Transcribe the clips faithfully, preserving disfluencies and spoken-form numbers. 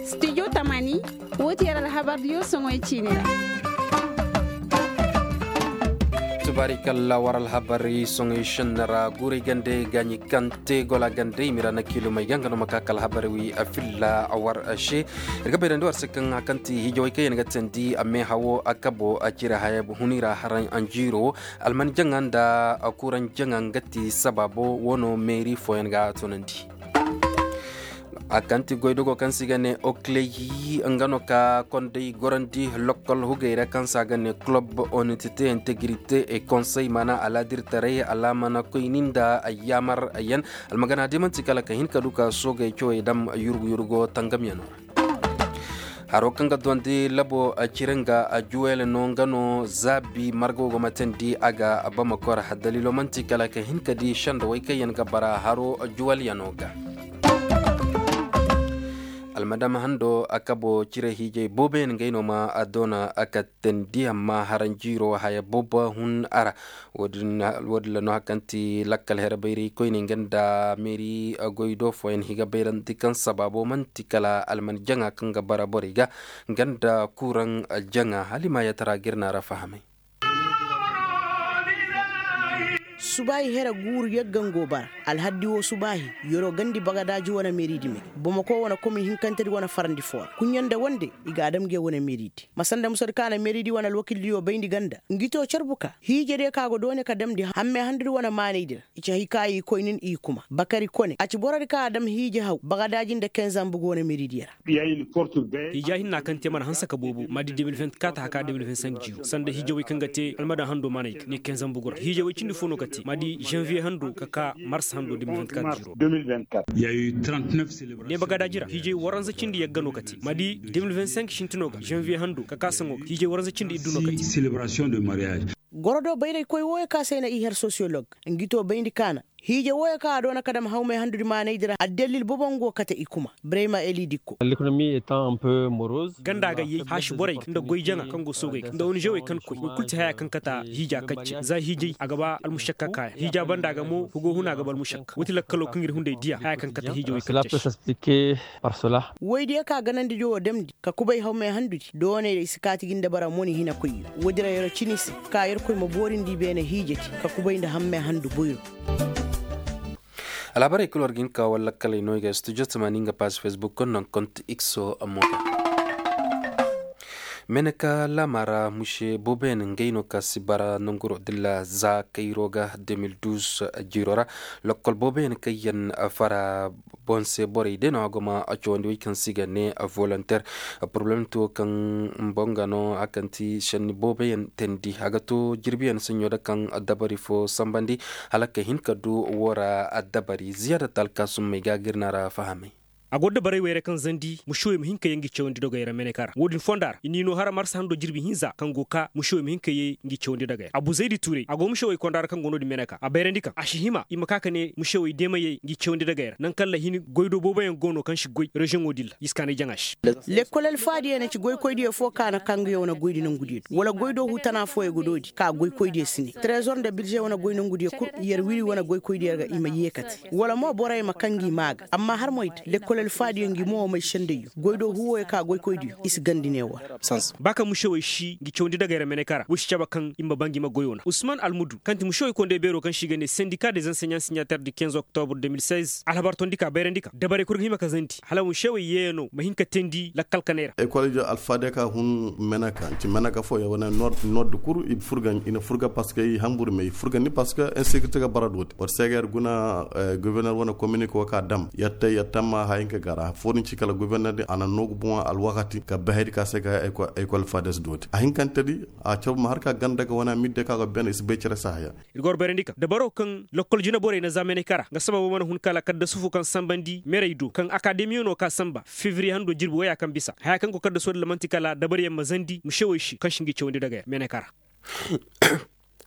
Studio tamani, woo ti yer alhabardiyo soŋoy ciini ra. Tubaarikalla, war alhabari soŋoy šenni ra guuray gande gaaɲi kaŋ te gola gande i ma i ra na kiilumey ga nga no ma ka ka alhabari wi a filla war se. Ir ga bayrandi war se kaŋ hakanti hijawey kaŋ yaŋ ga teendi a meehawo a kabo a cire haya huni ra haraŋ anjiiro wo. Alman jaŋa nda kuuraŋ jaŋa nga ti sabaabo wano meeri fooyaŋ ga a toonandi. A kaŋ ti goydogo kaŋ se i ga ne okley nga no ka konday gorandi lokkol hugey ra kaŋ se a ga ne kulob onitite integrite e konsey maana alaadirtaray alaamana koyni nda ayyaamar yaŋ. Almagana day man'ti kala ka hin ka du ka soogey cawey dam yurgu yurgo tangamyano ra. Haro kaŋ ga duwandi labo cire nga juwel no nga no zaabi marga wo go ma teendi a ga bamakor. Daliilo man'ti kala ka hin ka di sendawey kaŋ yaŋ ga bara haro juwelyano ga. Almadama hando a kabo cire hiijay booboyaŋ ngey no ma a doona a ka teendi amma haranjiiro haya boobo hun a ra. Wo- din ra no hari kaŋ ti lakkal here bayray koyne nga nda meeri goy do fooyaŋ i ga bayrandi kaŋ sabaabo man'ti kala alman jaŋa kaŋ ga bara borey ga nga nda kuuraŋ jaŋa hala i ma yatara ga ir na a ra fahamay. Subaahi here guuru yagga nga go bara alhaddi wo subaahi yeroo gandi bagadaaji wane meeridi me bomoko wane komin hinkantedi wane farandi foo ra kuɲɲa nda wande i ga a dam nge wane meeridi ma sanda musadi ka na meeridi wane alwakildiyo bayndi ganda ngi too carbu ka hiijediyo ka go doone ka damndi hammey handudi wane maanaydi ra i ci hay ka i koynin i kuma bakari kone a ci borodi ka a dam hiije haw bagadaaji nda kenzambugu wane meeridiyo ra. Hiija hinna kaŋ te mana hanse ka boobo ma di de mil vingt-quatre haka de mil vingt-cinq jiiro sanda hiijawey kaŋ ga te almadan hando mana i ga ne kenzambugu ra hiijawey cindi fo no ka te ma di janviye hando ka ka mars hando de mil vingt-quatre jiiro. Ne bagadaaji ra hiijay waranza cindi yagga no ka te ma di de mil vingt-cinq sintino ga janviye hando ka ka saŋo ga hiijay waranza cindi iddu no ka te. Gorodo bayraykoy wooyo ka se ay na i her sosiyolog ngi to bayndi kaana hiije wooyo kaŋ a doona ka dam hawmey handudi maanaydi ra addalil bobo nga go kate i kuma brema eli dikko. Ganda ga yay haaši borey nda goy jaŋa kaŋ go soogey ga nda onizewey kaŋ koy woy kulu ti haya kaŋ kate hiija kacce za hiijay a ga ba almušakka kaayaŋ hiija banda ga mo hugo huna ga ba almušakka woo ti lakkalo kaŋ ir hunday diya haya kaŋ kate hiijawey kacce se. Woydiyo ka ganandidiyo wo damndi ka kubay hawmey handudi dooney ra i si kaati gi nda bara moni hinakoyyo woodi ra yeroo cini se ka yerkoy ma boorindi i beene hiijedi ka kubay nda hammey handu boyro. Alhabarey kul war ga hin ka war lakkaley no i ga studio tamaani nga paaz facebook konno nga kont x o ammo ga. Meneka laama ra muse booboyaŋ ngey no ka si bara nanguro dilla za kayro ga de mil duuz jiiro ra. Lokkol booboyaŋ kaŋ yaŋ fara boŋ se borey day no a go ma cawandi wey kaŋ se i ga ne volonter. Poroblem to kaŋ mboŋ ga no a kaŋ ti senni booboyaŋ teendi a ga to jirbiyaŋ saɲɲo da kaŋ dabari fo sambandi hala ka hin ka du woo ra dabari ziyaada talkaasummey ga ga ir na ra fahamay. A go dabarey wey ra kaŋ zandi musewey ma hin ka yee ngi cawandi dogey ra meneka ra woodin fonda ra i n'i no har marsa hando jirbi hinza kaŋ go ka musewey ma hin ka yee ngi cawandi dogey ra abu zaydi tuurey a go musewey konda ra kaŋ go no-din meneka a bayrandi kaŋ a si hima i ma ka ka ne musewey deemayey ngi cawandi dogey ra nangu kaŋ ra hin goy do booboyaŋ go no kaŋ si goy reziyoŋo din ra i si kaanay jaŋa se. Lekkol alfaadiyo na ci goykoydiyo foo ka na ka nga yaw na goydi nangudiyo do wala goy do huu tana fooyo ga doodi ka goykoydiyo si ne trezor nda birze wane goy nangudiyo kul yer wiri wane goykoydiyo ga i ma yee kate wala mo borey ma kaŋ ngi maa ga amma har moy da lekkol alfaadiyo ngi mo may sendayyo goy do huu wooyo ka goykoydiyo i si gandi ne war. Ba kaŋ musewey si ngi cawandi dagey ra meneka ra woy si cabe kaŋ i ma ba ngi ma goyoo na usman almudu kaŋ ti musewey konday beeroo kaŋ se i ga ne sendika de zanseɲan siɲater di kinze oktobre de mil seize alhabar tondi ka bayrandi ka dabarey kul ga hima ka zandi hala musewey yeeyanoo ma hin ka teendi lakkal kaney ra. Ekol ijo alfaadiyo ka hun meneka nci meneka fo ya wane nord kul i furga i na furga parceque i hambur me i furgandi parceque insekirite ga bara dooti war se ga yer guna governer wane kominike wo ka dam yer te yer tamma haya hinka ga ra foo din ci kala governer din a na noogu boŋo alwakati ka bay hayadi ka se ka ekol faades dooti a hinkante di a caw ma har ka ganda ga wane midde ka go ben i si bay cere se haya. Ir ga war bayrandi kaŋ dabaroo kaŋ lokkol jinaborey na za meneka ra nga sababo mana hun kala kaddasu fo kaŋ sambandi merey do kaŋ akademiyo no ka samba febriye hando jirbi waya kaŋ bisa haya kaŋ go kaddasu wo din ra man'ti kala dabaryaŋ ma zandi musewey se kaŋ si ngi cawandi dagey ra meneka ra.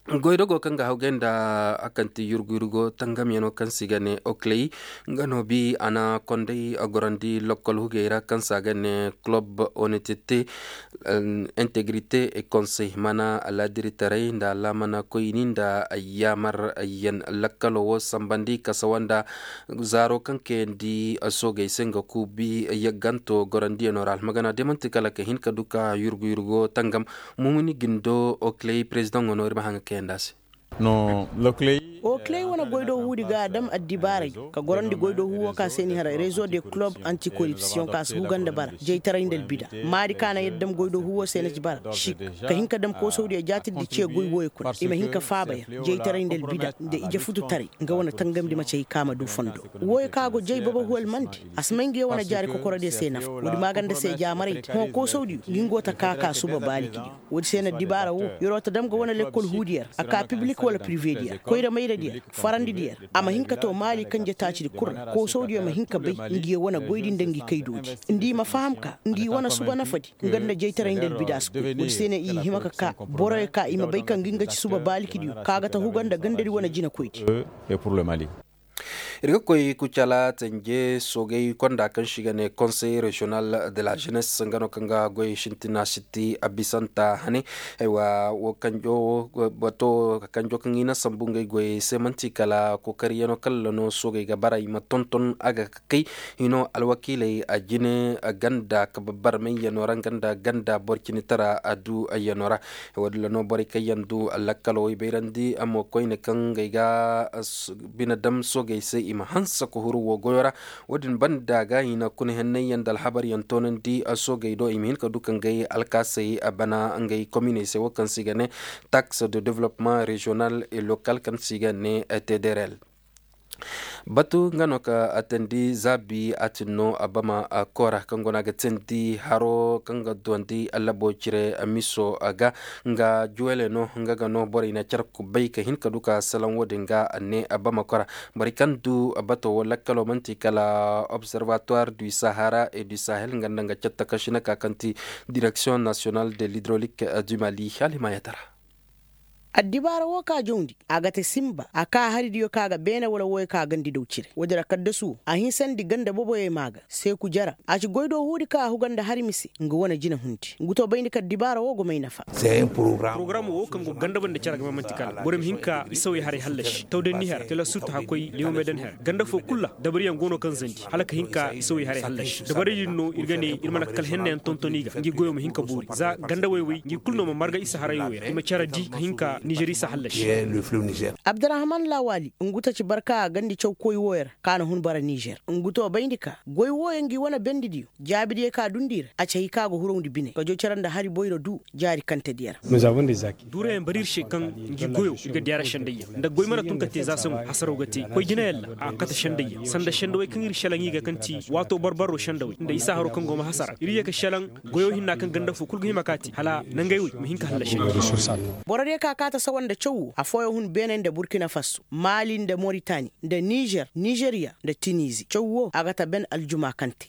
Goydogo kaŋ ga hawgay nda a kaŋ ti yurgu yurgo tangamyano kaŋ se i ga ne okley, nga no bi a na konday a gorandi lokkol hugey ra kaŋ se a ga ne kulob onetete, integrite e konsey mana alaadiritaray nda alaamana koyni nda yaamar yan lakkalo wo sambandi kasawa nda zaaro kaŋ kayandi soogey se nga kuubi yagganto gorandiyano ra almagana de manti kala ka hin ka du ka yurgu yurgo tangam. Mumuni gindo okley perezidaŋo no ir ma haŋ ga kayandi a se. Okley wane goydoo huudi ga a dam addibaaray ka gorandi goydoo huu woo ka se ni haray rezo de kulob antikoripsiyoŋ ka si huga nda bara jaytaray nda albida. Maadi ka na yadda dam goydoo huu woo se na ci bara sik ka hin ka dam koosawdiyo jaatirdi ce goy wooyo kuna i ma hin ka faaba ya jaytaray nda albida nda ije fututaray. Nga wane tangamdi ma cay ka ma du fondo wooyo ka go jay baba huwal mandi a si may nga ya wane jaari kokorodiyo se nafa woodi maaganda se jaamaraydi hõ koosawdiyo ngi ngo ta ka ka suba baalikidiyo. Woodi se na dibaara woo yeroo ta dam ga wane lekkol huudiyo ra a ka piblik wala pirivediyo ra koyra mayradiyo ra farandidiyo ra a ma hin ka too maali kanje taacidi kul ra koosawdiyo ma hin ka bay ngi wane goydi nda ngi kaydoodi nda i ma faham ka ngi wane suba nafadi. Nga nda jaytaray nda albidaas koy woodi se na i hima ka ka boroyo ka i ma bay ka ngi nga ci suba baalikidiyo ka ga ta huga nda gandadi wane jinakoydi. Ir ga koy kucala tanje soogay konda kaŋ se i ga ne konsey reziyonal de la jenes nga no kaŋ ga goy sintina sitti a bisanta hane. Aywa wo kanjo bato kanjo kaŋ i na sambu ngey goyey se manti kala kokariyano kala no soogay ga bara i ma tonton a ga kay hino alwakiiley a jine ganda ka babbar mayyano ra nga nda ganda boro cine tara a du ayyano ra. Woodin ra no borey kaŋ yaŋ du lakkalo way bayrandi a mo koyne kaŋ ngey ga bine dam soogey se i ma hanse ka huru wo goyo ra. Woodin banda ga i na kuna henney yaŋ nda alhabar yaŋ toonandi soogey do i ma hin ka du ka ngey alkaasey bana ngey kominey se wo kaŋ se i ga ne tax de developpement régional et local kaŋ se i ga ne tdrl. Batu nga no ka a teendi zaabi a tin no a bama koora kaŋ go no a ga teendi haro kaŋ ga duwandi allabo cire miso ga nga juwele no nga ga no borey na care kubay ka hin ka du ka salaŋ wo-din ga a ne a bama koora. Borey kaŋ du bato wo lakkalo manti kala observatoire du sahara et du sahel nga nda nga catta kaŋ si na ka kaŋ ti direction nationale de l'hydrolique du mali hala i ma yatara. Addibaara woo ka jawndi a ga te sinba a ka haridiyo ka ga beene wala wooyo ka gandi daw cire woodi ra kaddasu woo a hinsandi ganda boboyey maa ga seeku jara a ci goydoo huudi ka a huga nda hari mise nga wane jina hundi ngu to bayndi ka addibaara woo go may nafa. Porogaram woo kaŋ go ganda banda care ga ma manti kala borey ma hin ka isawey haray hallashi tawdanni her tela sutta hakkoy leewamey dan her ganda foo kul ra dabariyaŋ go no kaŋ zandi hala ka hin ka isawey haray hallashi dabaray din no ir ga ne ir mana kala hennayaŋ tonton i ga ngi goyo ma hin ka boori za ganda woy-woy ngi kulu no ma marga isa haray woy ra i ma care di ka hin ka nizer isa hallashi. Abdurahman lawali ngu ta ci barka a gandi caw koy woy ra ka na hun bara nizer ngu to bayndi ka goy woy ngi wane bendidiyo jaabidiyo ka dundi ra a ci hay ka go hurawndi bine ka jo care nda hari boyro du jaari kantediyo ra. Duurayaŋ bari ir se kaŋ ngi goyo ir ga diyaara sendayyaŋ nda goy mana tun ka te za saŋo hasaraw ga te koy jinayaŋ ra a kate sendayyaŋ sanda sendawey kaŋ ir šelaŋ i ga kaŋ ti waato barbaro sendawey nda isa haro kaŋ go ma hasara ir ye ka šelaŋ goyo hinna kaŋ ganda fo kul ga hima ka te hala nangey wey ma hin ka hallasi. Borodiyo ka kaata sawa nda caw wo afooyaŋ hun beeney nda burkina faso maali nda moritani nda nizer nizeriya nda tinizi caw wo a ga ta ben aljuma kaŋ te.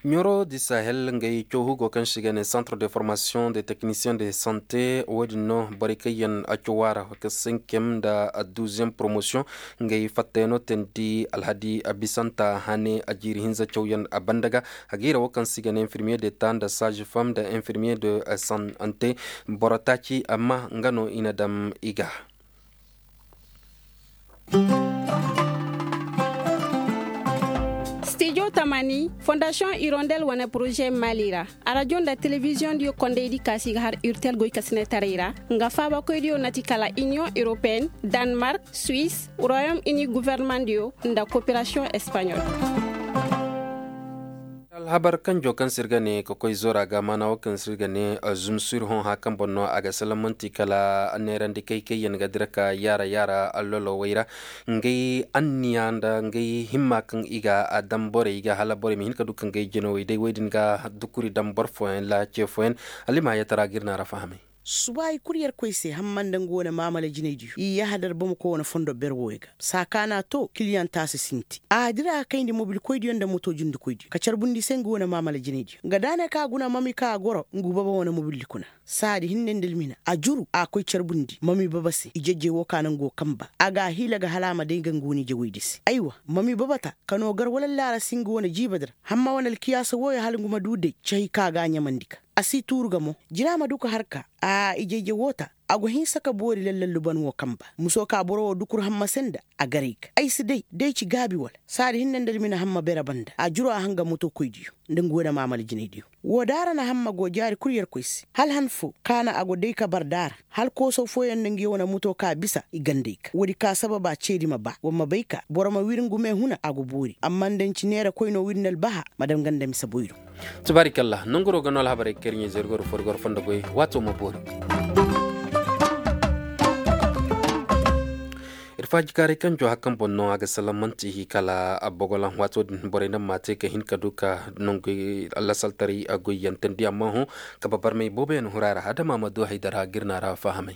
Ɲoro di sahel ngey cawhu go kaŋ se i ga ne centre de formation de technicien de sante wo-din no borey kaŋ yaŋ a caw a ra ka senkem nda duuziyeŋ promotion ngey fattayano teendi alhadi a bisanta hane a jiiri hinza cawyaŋ a banda ga. A ga hira wo kaŋ se i ga ne infirmiye de ta nda saazi fam nda infirmiye de sante boro taaci amma nga no i na dam i ga. Stijo tamani fondasiyoŋ irondel wane poroze mali ra arajo nda telebiziyoŋ diyo kondaydi kaasi ga har urtel goy kasinetaray ra nga faabakoydiyo na ti kala iniyoŋ europeyenne, danmark, suisse, royaume uni guvernemandiyo nda koperasiyoŋ espaɲol. Alhabar kanjo kaŋ se ir ga ne ka koy zora ga maana wo kaŋ se ir ga ne zumsir hõ hã kaŋ boŋ no a ga salaŋ manti kala neerandi kay kay yaŋ ga dira ka yaara yaara allolowey ra. Ngey anniya nda ngey himma kaŋ i ga a daŋ borey ga hala borey ma hin ka du ka ngey jinawey day wey din ga dukuri daŋ boro fooyaŋ laace fooyaŋ. Hala i ma hayyatara ga ir naara fahamay. Suba i kul yerkoy se hamma nda nga wane maamala jinaydiyo i yahadar bamako wane fondo ber wooyo ga saa ka na to kiliyaŋ taasi sinti a dira ka kayndi mobilkoydiyo nda moto jundikoydiyo ka carbundi i se nga wane maamala jinaydiyo nga da a ne kaŋ a guna mami kaŋ a goro ngu baba wane mobildi kuna. Saadi hinne nda almina a juru a koy carbundi mami baba se ijejey woo ka na ngu woo kamba a ga a hiila ga hala a ma day nga ngu wane ijewaydi se aywa mami baba ta ka noo gar wala allaara si nga wane jiiba di ra. Hamma wane alkiyaasa wooyo hala ngu ma duu day cahi kaŋ a ga a ɲamandi ga a si tuuru ga mo. Jina ma duu ka har ka a ije-ije woo ta. A go hinsa ka boori lallal luban woo kamba musoo ka boro woo dukur hamma se nda a garay ga ay si day day ci gaabi wala. Saadi hinne nda almina hamma bere banda a juru a hanga motokoydiyo nda ngu wane maamala jinaydiyo. Woo daara na hamma go jaari kul yerkoy se hala han foo ka na a go day ka bar daara hala koosaw fooyaŋ nda ngi wane moto ka bisa i gandey ga woodi ka sababa ceedi ma ba war ma bay ka boro ma wir ngu me huna a go boori amma nda nci neera koynoo wir nda albaha. Ma dam ganda mise boyro. Tubaarikalla nonguroo ga noo alhabarey kaŋ ir ɲaa zergoro foo ir goro fondo goy waatoo ma boori. Ir faajikaaray kaŋ joo hakan boŋ no a ga salaŋ manti kala bogolaŋ waatoo din borey naŋ ma a te ka hin ka du ka nongu lasaltaray goyyaŋ teendi amma hõ. Kaba barmay booboyaŋ hura ra adama ma du haydara ga ir na a ra fahamay.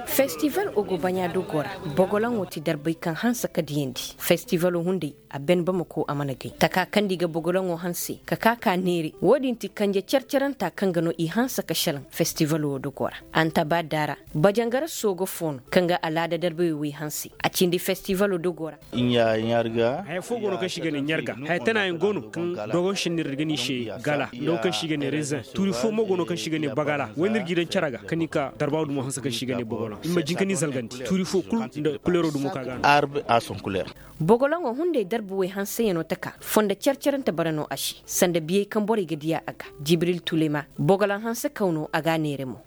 Festival ogo baɲa dogoo ra bogolaŋo ti darbay kaŋ hanse ka diyandi festivalo hunday. A ben bamako a mana gay taka kaŋ nda i ga bogolaŋo hanse ka ka ka neere wo-din ti kanje car-caranta kaŋ ga no i hanse ka šelaŋ festivalo wo dogoo ra. Antaba daara bajangara soogo foo no kaŋ ga alaada darbay wey hanse a cindi festivalo dogoo ra. Haya foo go no kaŋ se i ga ne ɲarga haya tanaayaŋ go no kaŋ dogon šennir ir ga ne i se gala nda wo kaŋ se i ga ne rezen tuuri foo mo go no kaŋ se i ga ne bagala wayna ir g'i daŋ cere ga kaŋ ni ka darba wo dumo hanse kaŋ se i ga ne bogolaŋ ir ma jin ka ni zalgandi tuuri foo kul nda kuleero dumo ka ga no. Bogolaŋo hunday darba wey hanseyaŋo taka fondo car-carante bara no a se sanda biyey kaŋ borey ga diya a ga jibril tulema bogolaŋ hanse kaw no a ga a neere mo.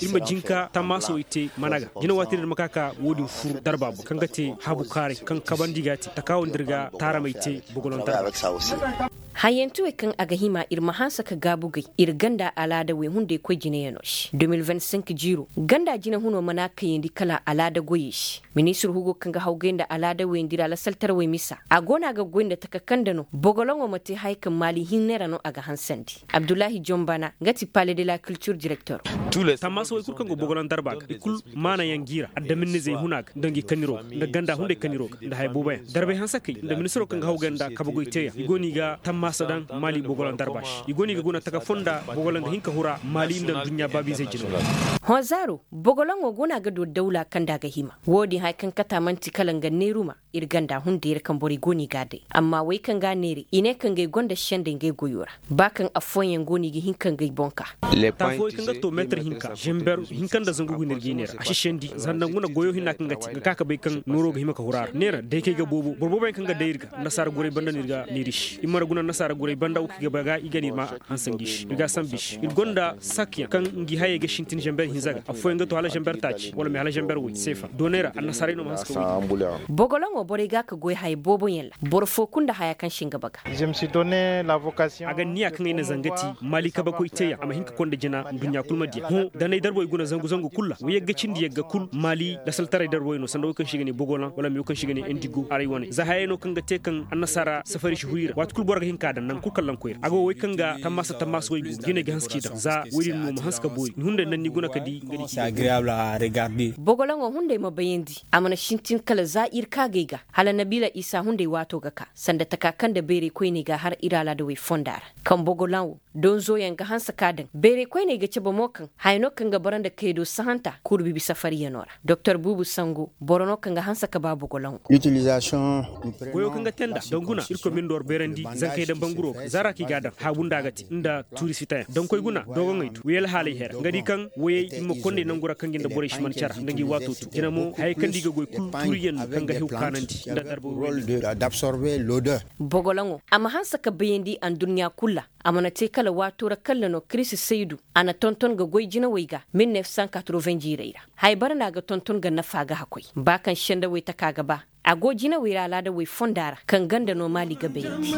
Ir ma jin ka tammaasa wey te mana ga jina waati din ir ma ka ka wo-din fur darba boŋ kaŋ ga te habu kaaray kaŋ kabandi ga a te takaawo nda ir ga taaramey te bogolaŋ darba. Hayyanti wey kaŋ a ga hima ir ma hanse ka gaabu gay ir ganda alaada wey hunday koy jinayaŋo se de mil vingt cinq jiiro ganda jina huno mana kayandi kala alaada goyey se. Ministir hugo kaŋ ga hawgay nda alaada wey nda ir alasaltarawey misa a go no a ga goy nda taka kaŋ nda no bogolaŋo ma te haya kaŋ maali hinne ra no a ga hansandi. Abdullahi jombana nga ti pale de la kiltir direktor. Tammaasa wey kul kaŋ go bogolaŋ darba ga i kul maanayaŋ gi ra addaminizey huna ga nda ngi kaniro ga nda ganda hunday kaniro ga nda haya booboyaŋ darbay hanse kay nda ministiro kaŋ ga hawgay nda kabagoy teeyaŋ i go no i ga tammaasa daŋ maali bogolaŋ darba se i go no i ga guna taka fonda bogolaŋ ga hin ka hura maali nda adduɲɲa baabiizey jina. Hõ zaaro bogolaŋo go no a ga du dawla kaŋ nda a ga hima wo-din haya kaŋ kata man'ti kala nga neeruma ir ganda hunday ra kaŋ borey go no i ga a day amma wey kaŋ ga a neeray i ne kaŋ ga ay gonda sendey nga ay goyo ra. Ba kaŋ affooyaŋ go no i ga hin ka nga ay boŋ ka. Taafooyaŋ kaŋ ga to meetar hinka zamber hinka nda zangu guna ir ga i neera a si sendi zanda nga na goyo hinna kaŋ ga te nga ka ka bay kaŋ nooro ga hima ka hura ra neera daykey ga boobo boro booboyaŋ kaŋ ga day ir ga annasaara guray banda no ir ga neeri se ir mana guna annasaara guray banda wo kaŋ i ga bay ga i ga no ir ma hanse ngi se ir ga a sambu i se ir gonda sakyaŋ kaŋ ngi hayey ga sintin zamber hinza ga affooyaŋ ga to hala zamber taaci wala me hala zamber woy seefa doonay ra annasaaray no ma hanse ka woy. Bogolaŋo borey ga a ka goy haya booboyaŋ ra boro fo kulu nda haya kaŋ se nga baga. A ga niya kaŋ ay na zanga ti maali kabakoy teeyaŋ a ma hin ka konda jina nduɲɲa kul ma diya hõ danay darbey guna zangu zangu kul ra wo yagga cindi yagga kul maali lasaltaray darbey no sanda wo kaŋ se i ga ne bogolaŋ wala me wo kaŋ se i ga ne indigo arey wane za hayey no kaŋ ga te kaŋ annasaara safari si huru i ra waati kul boro ga hin ka a daŋ nangu kul kaŋ lankoy ra a go wey kaŋ ga tammaasa tammaasa wey go jinay ga hanse k'i daŋ za wey din no ma hanse ka boori ni hunday naŋ ni guna ka di nga di k'i daŋ. Bogolaŋo hunday ma bayandi a mana sintin kala za ir kaagay ga hala nabiila isa hunday waato ga ka sanda taka kaŋ nda bayray koyney ga har ir alaadawey fonda ra kaŋ bogolaŋo donzoyaŋ ga hanse ka daŋ bayray koyney ga cabe mo kaŋ haya no kaŋ ga bara nda kaydo sahanta kurbibi safariyano ra doktor buubu sango boro no kaŋ ga hanse ka ba bogolaŋo. Goyo kaŋ ga te nda danguna irkoy ma ni nda war bayrandi zankey daŋ banguro ga zaara kaŋ i ga a daŋ haabu nda a ga te nda tuuri sitayaŋ daŋkoy guna doogoŋey du wayey alhaaley hera nga di kaŋ wayey i ma konday nangu ra kaŋ ngi nda borey si man cara nda ngi waato tu jina mo hayey kaŋ nda i ga goy kul tuuriyaŋ no kaŋ ga hew kaanandi nda darba. Bogolaŋo a ma hanse ka bayandi anduɲɲa kul ra a mana te kala waato ra kalla no kiristi saydu a na tonton ga goy jinawey ga mil neef san katroven jiirey ra haya bara no a ga tonton ga nafa ga hakkoy ba kaŋ sendawey taka ga ba a go jinawey ra alaadawey fonda ra kaŋ ganda no maali ga bayandi.